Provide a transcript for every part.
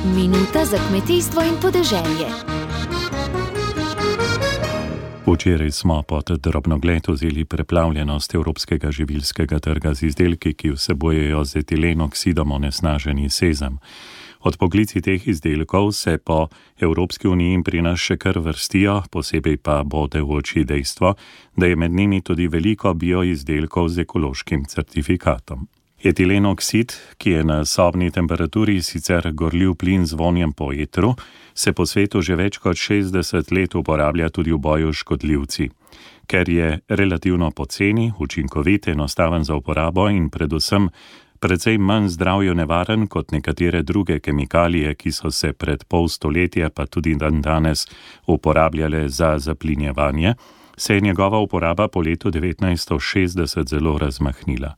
Minuta za kmetijstvo in podeželje. Včeraj smo pod drobnogled vzeli preplavljenost evropskega živilskega trga z izdelki, ki vsebujejo z etilenoksidom onesnaženi sezam. Odpoklici teh izdelkov se po Evropski uniji pri nas še kar vrstijo, posebej pa bode v oči dejstvo, da je med njimi tudi veliko bioizdelkov z ekološkim certifikatom. Etilenoksid, ki je na sobni temperaturi sicer gorljiv plin z vonjem po etru, se po svetu že več kot 60 let uporablja tudi v boju s škodljivci. Ker je relativno poceni, učinkovit, enostaven za uporabo in predvsem precej manj zdravju nevaren kot nekatere druge kemikalije, ki so se pred pol stoletja pa tudi danes uporabljale za zaplinjevanje, se je njegova uporaba po letu 1960 zelo razmahnila.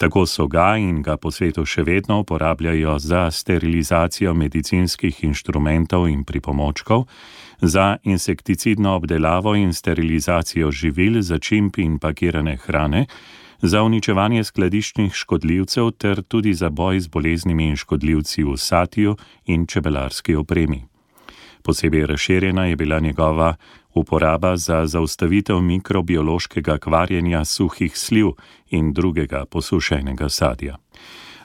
Tako so ga in ga po svetu še vedno uporabljajo za sterilizacijo medicinskih inštrumentov in pripomočkov, za insekticidno obdelavo in sterilizacijo živil, začimb in pakirane hrane, za uničevanje skladiščnih škodljivcev ter tudi za boj z boleznimi in škodljivci v satju in čebelarski opremi. Posebej razširjena je bila njegova uporaba za zaustavitev mikrobiološkega kvarjenja suhih sliv in drugega posušenega sadja.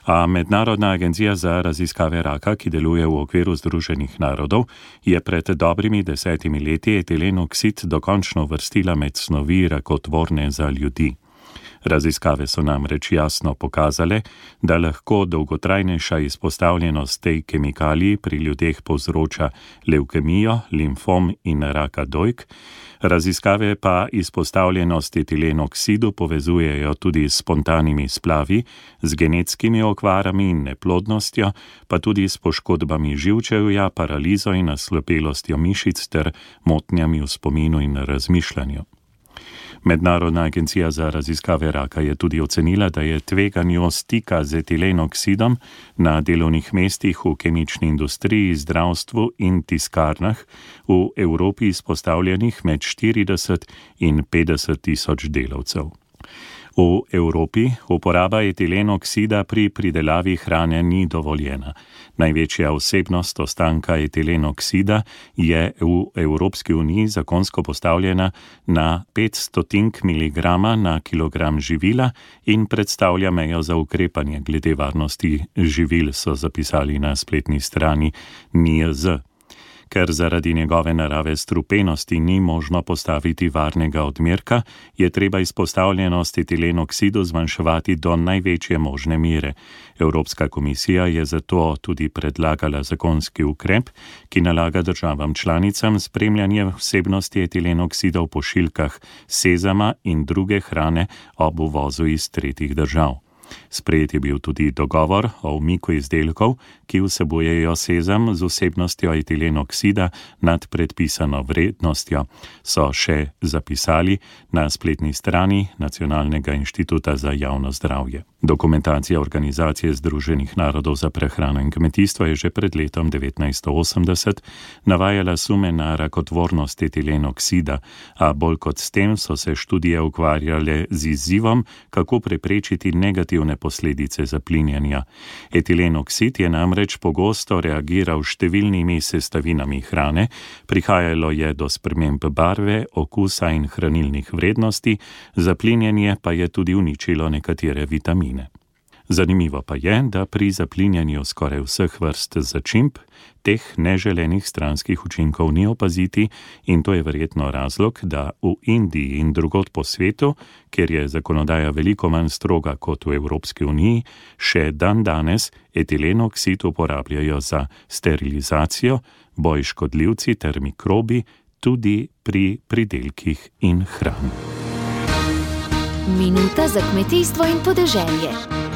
A Mednarodna agencija za raziskave raka, ki deluje v okviru Združenih narodov, je pred dobrimi 10 leti etilenoksid dokončno uvrstila med snovi rakotvorne za ljudi. Raziskave so namreč jasno pokazale, da lahko dolgotrajnejša izpostavljenost tej kemikaliji pri ljudeh povzroča levkemijo, limfom in raka dojk. Raziskave pa izpostavljenost etilenoksidu povezujejo tudi s spontanimi splavi, z genetskimi okvarami in neplodnostjo, pa tudi s poškodbami živčevja, paralizo in naslepelostjo mišic ter motnjami v spominu in razmišljanju. Mednarodna agencija za raziskave raka je tudi ocenila, da je tveganju stika z etilenoksidom na delovnih mestih v kemični industriji, zdravstvu in tiskarnah v Evropi izpostavljenih med 40 in 50 tisoč delavcev. V Evropi uporaba etilenoksida pri pridelavi hrane ni dovoljena. Največja vsebnost ostanka etilenoksida je v Evropski uniji zakonsko postavljena na 500 mg na kilogram živila in predstavlja mejo za ukrepanje glede varnosti živil, so zapisali na spletni strani NIJZ. Ker zaradi njegove narave strupenosti ni možno postaviti varnega odmerka, je treba izpostavljenost etilenoksidu zmanjševati do največje možne mere. Evropska komisija je zato tudi predlagala zakonski ukrep, ki nalaga državam članicam spremljanje vsebnosti etilenoksida v pošiljkah sezama in druge hrane ob uvozu iz tretjih držav. Sprejet je bil tudi dogovor o umiku izdelkov, ki vsebujejo sezam z vsebnostjo etilenoksida nad predpisano vrednostjo, so še zapisali na spletni strani Nacionalnega inštituta za javno zdravje. Dokumentacija Organizacije Združenih narodov za prehrano in kmetijstvo je že pred letom 1980 navajala sume na rakotvornost etilenoksida, a bolj kot s tem so se študije ukvarjale z izzivom, kako preprečiti negativne posledice zaplinjanja. Etilenoksid je namreč pogosto reagiral s številnimi sestavinami hrane, prihajalo je do sprememb barve, okusa in hranilnih vrednosti, zaplinjanje pa je tudi uničilo nekatere vitamine. Zanimivo pa je, da pri zaplinjanju skoraj vseh vrst začimb teh neželenih stranskih učinkov ni opaziti in to je verjetno razlog, da v Indiji in drugod po svetu, kjer je zakonodaja veliko manj stroga kot v Evropski uniji, še danes etilenoksid uporabljajo za sterilizacijo, boj s škodljivci ter mikrobi, tudi pri pridelkih in hrani. Minuta za kmetijstvo in podeželje.